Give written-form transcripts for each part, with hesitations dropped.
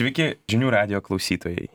Sveiki, žinių radijo klausytojai.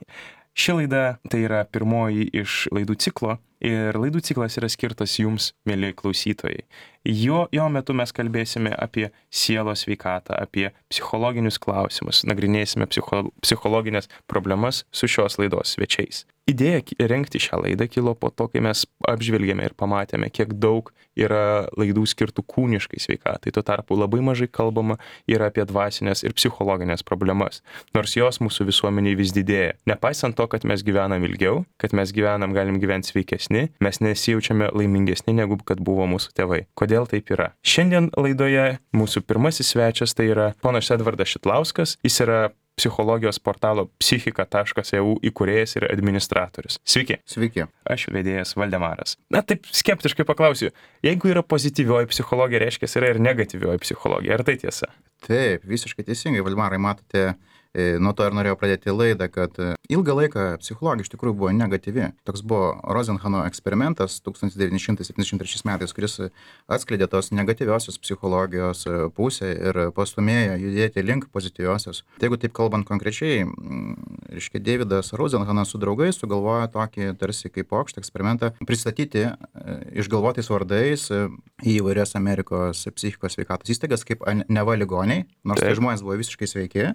Ši laida tai yra pirmoji iš laidų ciklo ir laidų ciklas yra skirtas jums, mėly klausytojai. Jo metu mes kalbėsime apie sielos sveikatą, apie psichologinius klausimus, nagrinėsime psichologinės problemas su šios laidos svečiais. Idėja rengti šią laidą kilo po to, kai mes apžvelgėme ir pamatėme, kiek daug yra laidų skirtų kūniškai sveikatai. Tuo tarpu labai mažai kalbama yra apie dvasinės ir psichologinės problemas, nors jos mūsų visuomeniai vis didėja. Nepaisant to, kad mes gyvenam ilgiau, kad mes galim gyventi sveikesni, mes nesijaučiame laimingesni, negu kad buvo mūsų tėvai. Kodėl taip yra? Šiandien laidoje mūsų pirmasis svečias tai yra ponas Edvardas Šidlauskas. Jis yra psichologijos portalo psichika.eu įkūrėjas ir administratorius. Sveiki. Sveiki. Aš vedėjas Valdemaras. Na taip skeptiškai paklausiu, jeigu yra pozityvioji psichologija, reiškia yra ir negatyvioji psichologija. Ar tai tiesa? Taip, visiškai teisingai, Valdemarai, matote, nuo to ir norėjau pradėti laidą, kad ilgą laiką psichologija iš tikrųjų buvo negatyvi. Toks buvo Rosenhano eksperimentas 1973 metais, kuris atskleidė tos negatyviosios psichologijos pusę ir pastumėjo judėti link pozityviosios. Tai jeigu taip kalbant konkrečiai, reiškia, Davidas Rosenhanas su draugais sugalvojo tokį tarsi kaip pokštą eksperimentą pristatyti išgalvotais vardais į įvairias Amerikos psichikos sveikatos įstaigas kaip neva ligoniai, nors tai žmonės buvo visiškai sveiki.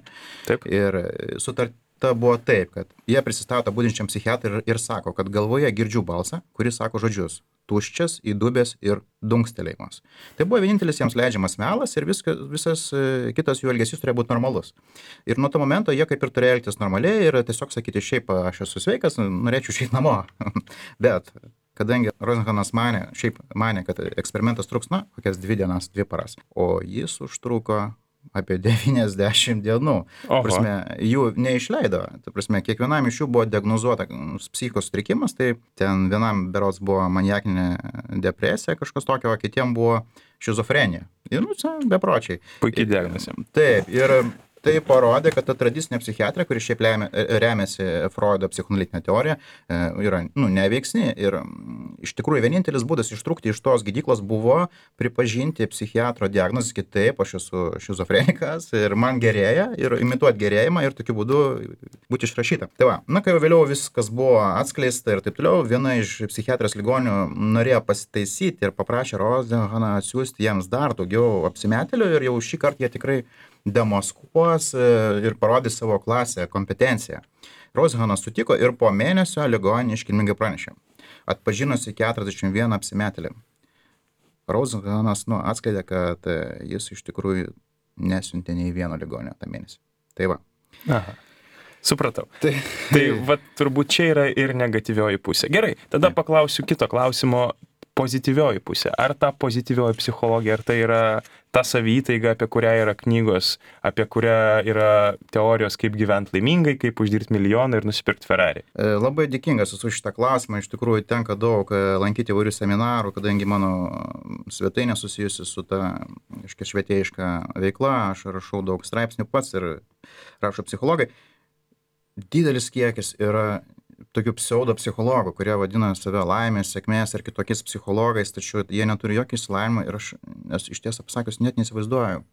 Taip. Ir sutarta buvo taip, kad jie prisistato budinčiam psichiatrui ir sako, kad galvoje girdžiu balsą, kuris sako žodžius tuščias, įdubęs ir dunkstelėjimas. Tai buvo vienintelis jiems leidžiamas melas ir visas kitas jų elgesys turėjo būti normalus. Ir nuo to momento jie kaip ir turėjo elgtis normaliai ir tiesiog sakyti, šiaip aš esu sveikas, norėčiau išeiti namo. Bet kadangi Rosenhanas manė, kad eksperimentas truks, kokias 2 dienas, 2 paras, o jis užtruko apie 90 dienų. Prasme, jų neišleido. Ta prasme, kiekvienam iš jų buvo diagnozuota psichikos sutrikimas, tai ten vienam berods buvo maniakinė depresija, kažkas tokio, o kitiem buvo šizofrenija. Ir, bepročiai. Puikiai diagnozė. Taip, ir tai parodė, kad ta tradicinė psichiatrija, kuri šiaip remiasi Freudo psichoanalitinė teorija, yra neveiksni. Ir iš tikrųjų vienintelis būdas ištrūkti iš tos gydyklos buvo pripažinti psichiatro diagnozę, kitaip aš esu šizofrenikas ir man gerėja ir imituoti gerėjimą ir tokiu būdu būti išrašyta. Tai va, kai vėliau viskas buvo atskleista ir taip toliau, viena iš psichiatrijos ligonių norėjo pasitaisyti ir paprašė Rosenhaną atsiųsti jiems dar daugiau apsimetėlių ir jau šį kartą jie tikrai demaskuos ir parodys savo klasę, kompetenciją. Rosenhanas sutiko ir po mėnesio ligoninė iškilmingai pranešė, atpažinusi 41 apsimetėlį. Rosenhanas atskleidė, kad jis iš tikrųjų nesiuntė nei vieno ligonio tą mėnesį. Tai va. Aha. Supratau. Tai va, turbūt čia yra ir negatyvioji pusė. Gerai, tada paklausiu kito klausimo. Pozityvioji pusė. Ar ta pozityvioji psichologija, ar tai yra ta savytaiga, apie kurią yra knygos, apie kurią yra teorijos, kaip gyventi laimingai, kaip uždirbti milijoną ir nusipirkti Ferrari? Labai dėkingas esu šitą klausimą. Iš tikrųjų tenka daug lankyti įvairių seminarų, kadangi mano svetainė susijusi su ta švietėjiška veikla. Aš rašau daug straipsnių pats ir rašo psichologai. Didelis kiekis yra tokių pseudopsichologų, kurie vadina save laimės, sėkmės ir kitokiais psichologais, tačiau jie neturi jokio išsilavinimo ir aš iš tiesą pasakius net neįsivaizduoju,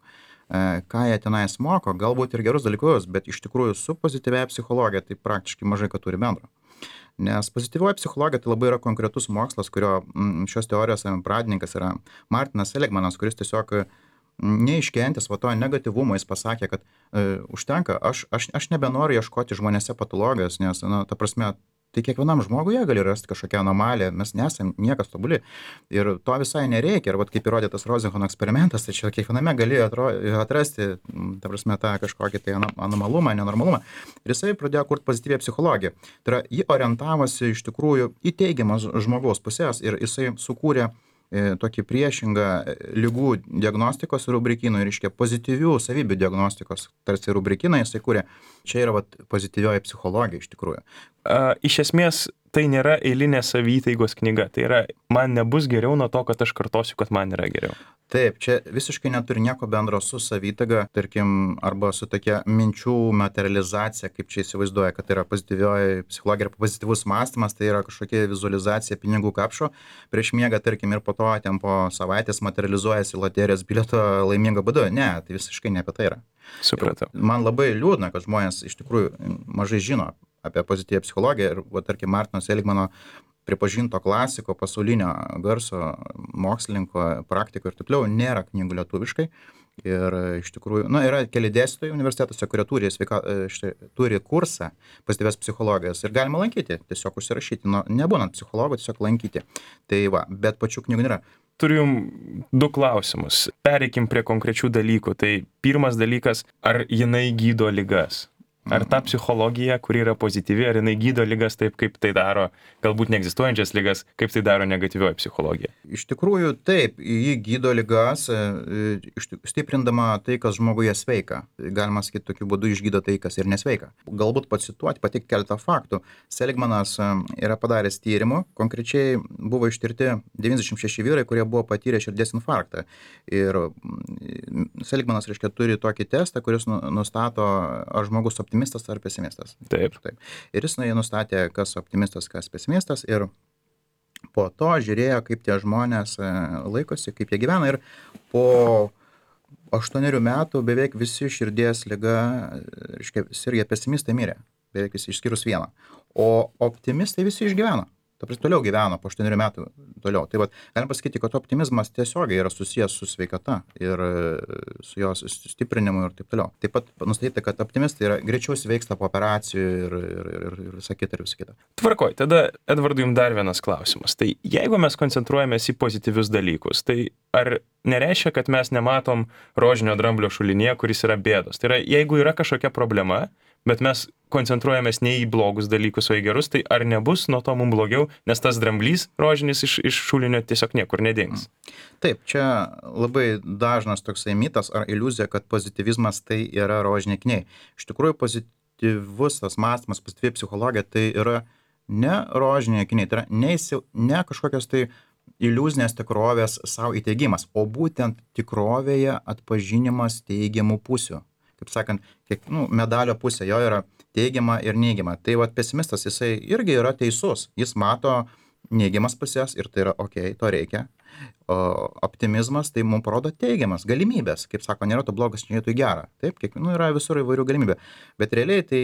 ką jie tenais moko, galbūt ir gerus dalykus, bet iš tikrųjų su pozityvia psichologija tai praktiškai mažai ką turi bendro. Nes pozityvioji psichologija tai labai yra konkretus mokslas, kurio šios teorijos pradininkas yra Martinas Seligmanas, kuris tiesiog neiškentęs to negatyvumo, jis pasakė, kad užtenka, aš nebenoriu ieškoti žmonėse patologijos, nes, ta prasme, tai kiekvienam žmoguje gali rasti kažkokią anomaliją, mes nesam niekas tobuli ir to visai nereikia. Ir kaip įrodė tas Rosenhano eksperimentas, tai čia kiekviename gali atrasti, ta prasme, tą kažkokį tai anomalumą, nenormalumą. Ir jisai pradėjo kurti pozityvią psicologiją. Tai yra, jį orientavosi iš tikrųjų į teigiamas žmogaus pusės ir jisai sukūrė tokį priešingą ligų diagnostikos rubrikynų ir reiškia pozityvių savybių diagnostikos tarsi rubrikyną jisai kūrė. Čia yra pozityvioji psichologija iš tikrųjų, iš esmės tai nėra eilinė savyteigos knyga. Tai yra, man nebus geriau nuo to, kad aš kartosiu, kad man yra geriau. Taip, čia visiškai neturi nieko bendro su savitaiga, tarkim, arba su tokia minčių materializacija, kaip čia įsivaizduoja, kad tai yra pozityvioji psichologija ir pozityvus mąstymas, tai yra kažkokia vizualizacija pinigų kapšo prieš miegą, tarkim, ir po to ten po savaitės materializuojasi loterijos bilieto laimingo būdu. Ne, tai visiškai ne apie tai yra. Supratau. Man labai liūdna, kad žmonės iš tikrųjų mažai žino apie pozityvią psichologija ir, tarkim, Martino Seligmano pripažinto klasiko, pasaulinio garso, mokslininko, praktiko ir taip toliau, nėra knygų lietuviškai. Ir iš tikrųjų, yra keli dėstytojai universitetuose, kurie turi kursą pozityvios psichologijos ir galima lankyti, tiesiog užsirašyti, nebūnant psichologų, tiesiog lankyti. Tai va, bet pačių knygų nėra. Turiu jums 2 klausimus. Pereikim prie konkrečių dalykų. Tai pirmas dalykas, ar jinai gydo ligas? Ar ta psichologija, kuri yra pozityvi, ar jinai gydo ligas taip, kaip tai daro, galbūt neegzistuojančias ligas, kaip tai daro negatyvioji psichologija? Iš tikrųjų, taip, ji gydo ligas, stiprindama tai, kas žmoguje sveika. Galima sakyti, tokiu būdu išgydo tai, kas ir nesveika. Galbūt pacituoti, pateikti keletą faktų. Seligmanas yra padaręs tyrimų, konkrečiai buvo ištirti 96 vyrai, kurie buvo patyrę širdies infarktą. Ir Seligmanas, reiškia, turi tokį testą, kuris nustato, ar žmogus optimistas ar pesimistas. Taip. Ir jis nustatė, kas optimistas, kas pesimistas ir po to žiūrėjo, kaip tie žmonės laikosi, kaip jie gyvena ir po 8 metų beveik visi širdies liga, reiškia, sirgę pesimistai mirė, beveik visi išskyrus vieną, o optimistai visi išgyveno. Toliau gyveno po 8 metų toliau. Tai vat, galim pasakyti, kad optimizmas tiesiogiai yra susijęs su sveikata ir su jos stiprinimu ir taip toliau. Taip pat nustatyti, kad optimistai yra greičiau sveiksta po operacijų ir visa kita. Tvarkoj, tada Edvardui jums dar vienas klausimas. Tai jeigu mes koncentruojamės į pozityvius dalykus, tai ar nereiškia, kad mes nematom rožinio dramblio šulinyje, kuris yra bėdos? Tai yra, jeigu yra kažkokia problema, bet mes koncentruojamės ne į blogus dalykus, o į gerus, tai ar nebus nuo to mums blogiau, nes tas dramblys rožinis iš šulinio tiesiog niekur nedings? Taip, čia labai dažnas toksai mitas ar iliuzija, kad pozityvizmas tai yra rožiniai akiniai. Iš tikrųjų, pozityvus tas mąstymas, pozityvi psichologija tai yra ne rožiniai akiniai, tai yra ne kažkokios tai iliuzinės tikrovės savo įteigimas, o būtent tikrovėje atpažinimas teigiamų pusių. Kaip sakant, medalio pusė jo yra teigiama ir neigiama. Tai vat pesimistas, jisai irgi yra teisus. Jis mato neigiamas pusės ir tai yra okei, to reikia. O optimizmas tai mums parodo teigiamas galimybės. Kaip sako, nėra to blogas, nėra gera. Taip, yra visur įvairių galimybė. Bet realiai, tai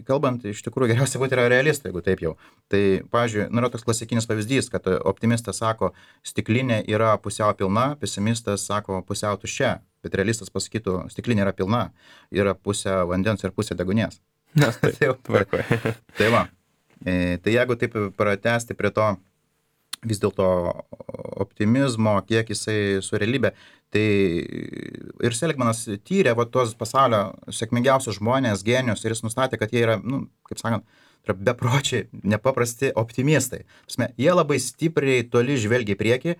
kalbant, iš tikrųjų geriausia būti yra realistai, jeigu taip jau. Tai, pavyzdžiui, yra toks klasikinis pavyzdys, kad optimistas sako, stiklinė yra pusiau pilna, pesimistas sako pusiau tuščia. Bet realistas pasakytų, stiklinė yra pilna, yra pusė vandens ir pusė degunės. Tai va. Tai jeigu taip pratęsti prie to vis dėlto optimizmo, kiek jisai su realybė, tai ir Seligmanas tyrė tos pasaulio sėkmingiausius žmonės, genius, ir jis nustatė, kad jie yra, kaip sakant, bepročiai, nepaprasti optimistai. Jie labai stipriai toli žvelgia į priekį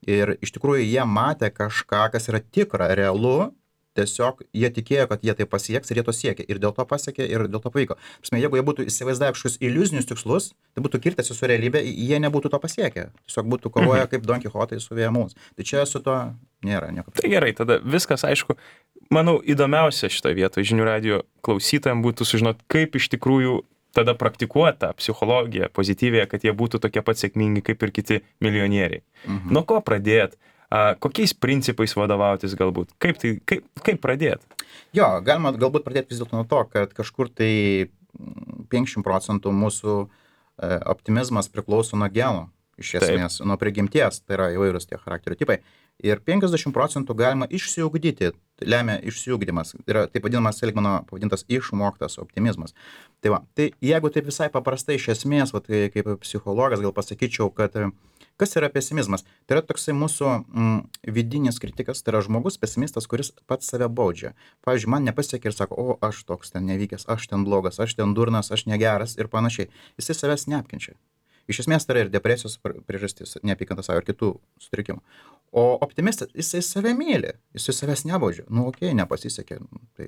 ir iš tikrųjų jie matė kažką, kas yra tikra, realu, tiesiog jie tikėjo, kad jie tai pasieks ir jie to siekė. Ir dėl to pasiekė ir dėl to pavyko. Jeigu jie būtų įsivaizdavę kažkokius iliuzinius tikslus, tai būtų kirtęsi su realybė, jie nebūtų to pasiekę. Tiesiog būtų kovoję kaip Don Kichotai su vėjamus. Tai čia su to nėra nieko. Tai gerai, tada viskas aišku. Manau, įdomiausia šitoje vietoje žinių radijo klausytojams būtų sužinoti, kaip iš tikrųjų tada praktikuota psichologija pozityvėje, kad jie būtų tokie pat sėkmingi kaip ir kiti milijonieriai. Nuo ko pradėt? Kokiais principais vadovautis galbūt? Kaip pradėti? Jo, galima galbūt pradėti vis dėlto nuo to, kad kažkur tai 50% mūsų optimizmas priklauso nuo genų, iš esmės, nuo prigimties, tai yra įvairūs tie charakterio tipai. Ir 50% galima išsiugdyti, lemia išsiugdymas, yra taip vadinamas Seligmano pavadintas išmoktas optimizmas. Tai va, tai jeigu taip visai paprastai iš esmės, va, tai kaip psichologas gal pasakyčiau, kad kas yra pesimizmas? Tai yra toksai mūsų vidinis kritikas, tai yra žmogus pesimistas, kuris pats save baudžia. Pavyzdžiui, man nepasiekė ir sako, o aš toks ten nevykęs, aš ten blogas, aš ten durnas, aš negeras ir panašiai. Jisai savęs neapkenčia. Iš esmės tai yra ir depresijos priežastis, neapykanta savo ir kitų sutrikimų. O optimistas, jisai save myli, jisai savęs nebaudžia. Nu, okei, nepasisekė, tai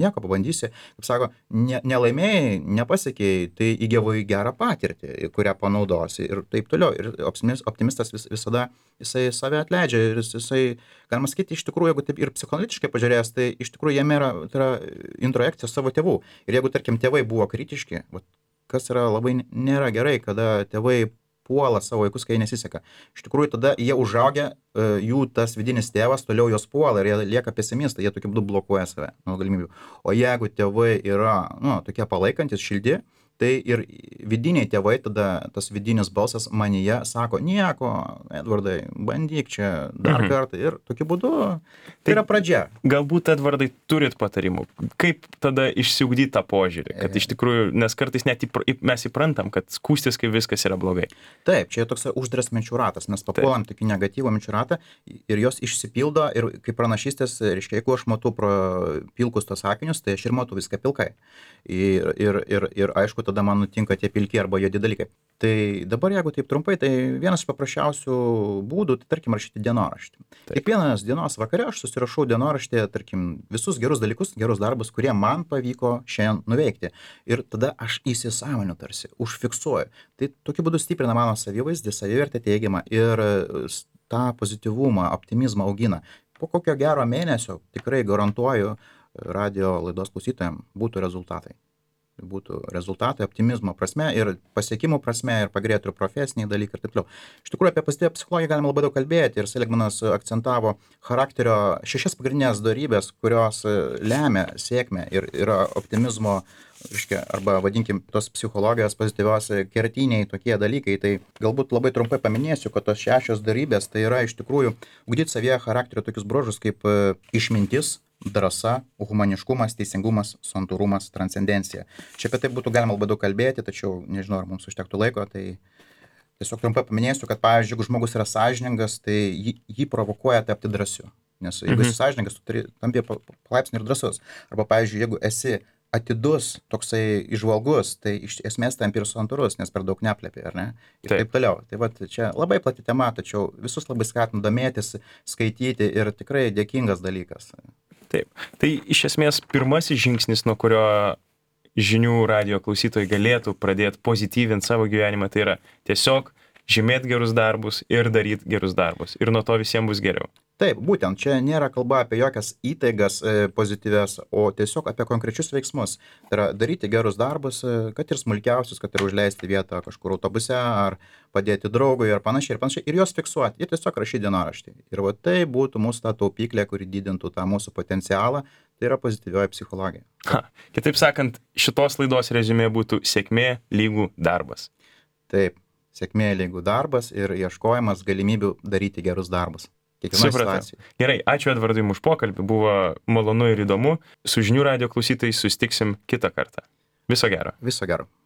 nieko, pabandysi. Kaip sako, nelaimėjai, nepasiekėjai, tai įgavai gerą patirtį, kurią panaudosi ir taip toliau. Ir optimistas visada, jisai save atleidžia ir jisai, galima sakyti, iš tikrųjų, jeigu taip ir psichoanalitiškai pažiūrėjęs, tai iš tikrųjų jame yra, tai yra introjekcija savo tėvų. Ir jeigu, tarkim, tėvai buvo kritiški, kas yra labai nėra gerai, kada tėvai puola savo vaikus, kai nesiseka. Iš tikrųjų, tada jie užaugę, jų tas vidinis tėvas toliau jos puola ir jie lieka pesimistai, jie tokiu būdu blokuoja save nuo galimybių. O jeigu tėvai yra, tokie palaikantis, šildi, tai ir vidiniai tėvai, tada tas vidinis balsas manyje sako, nieko, Edvardai, bandyk čia dar kartą ir tokiu būdu tai yra pradžia. Galbūt, Edvardai, turit patarimų, kaip tada išsiugdyti tą požiūrį, kad iš tikrųjų, nes kartais net mes įprantam, kad skūstis, kai viskas yra blogai. Taip, čia toks uždaras minčių ratas, mes papuolam tokį negatyvą minčių ratą ir jos išsipildo ir kaip pranašystės, reiškia, jeigu aš matau pro pilkus tos sakinius, tai aš ir matau viską pilkai. Ir aišku, tada man nutinka tie pilki arba juodi dalykai. Tai dabar, jeigu taip trumpai, tai vienas iš paprasčiausių būdų, tai tarkim, rašyti dienoraštį. Kiekvienas dienos vakare aš susirašau dienoraštį, tarkim, visus gerus dalykus, gerus darbus, kurie man pavyko šiandien nuveikti. Ir tada aš įsisąmoninu tarsi, užfiksuoju. Tai tokiu būdu stiprina mano savivaizdį, savivertę teigiamą ir tą pozityvumą, optimizmą augina. Po kokio gero mėnesio, tikrai garantuoju, radio laidos klausytojams būtų rezultatai. Būtų rezultatai optimizmo prasme ir pasiekimų prasme ir pagerėtų ir profesiniai dalykai ir taip toliau. Iš tikrųjų, apie pozityvią psichologiją galima labai daug kalbėti ir Seligmanas akcentavo charakterio 6 pagrindinės dorybės, kurios lemia sėkmę ir yra optimizmo, reiškia, arba vadinkim tos psichologijos pozityvios kertiniai tokie dalykai. Tai galbūt labai trumpai paminėsiu, kad tos 6 dorybės tai yra iš tikrųjų ugdyti savyje charakterio tokius bruožus kaip išmintis, drąsa, humaniškumas, teisingumas, santūrumas, transcendencija. Čia apie tai būtų galima labai daug kalbėti, tačiau nežinau, ar mums užtektų laiko, tai tiesiog trumpai paminėsiu, kad pavyzdžiui, jeigu žmogus yra sąžiningas, tai jį provokuoja tapti drąsiu. Nes jeigu esi sąžiningas, tu tampi palaipsniui ir drąsus. Arba pavyzdžiui, jeigu esi atidus, toksai įžvalgus, tai iš esmės tampi ir santūrus, nes per daug neplepi, ar ne? Ir taip toliau. Tai vat čia labai plati tema, tačiau visus labai skatinu domėtis, skaityti ir tikrai dėkingas dalykas. Taip. Tai iš esmės pirmasis žingsnis, nuo kurio žinių radijo klausytojai galėtų pradėti pozityvinti savo gyvenimą, tai yra tiesiog žymėti gerus darbus ir daryti gerus darbus. Ir nuo to visiems bus geriau. Taip, būtent, čia nėra kalba apie jokias įtaigas pozityvias, o tiesiog apie konkrečius veiksmus. Tai yra daryti gerus darbus, kad ir smulkiausius, kad ir užleisti vietą kažkur autobuse, ar padėti draugui, ar panašiai, ir juos fiksuoti. Ir tiesiog rašyti dienoraštį. Ir va tai būtų mūsų ta taupyklė, kuri didintų tą mūsų potencialą, tai yra pozityvioji psichologija. Kitaip sakant, šitos laidos reziumė būtų sėkmė lygų darbas. Taip, sėkmė lygų darbas ir ieškojimas galimybių daryti gerus darbus. Supratau. Gerai, ačiū Edvardui už pokalbį, buvo malonu ir įdomu. Su žinių radijo klausytojais susitiksim kitą kartą. Viso gero. Viso gero.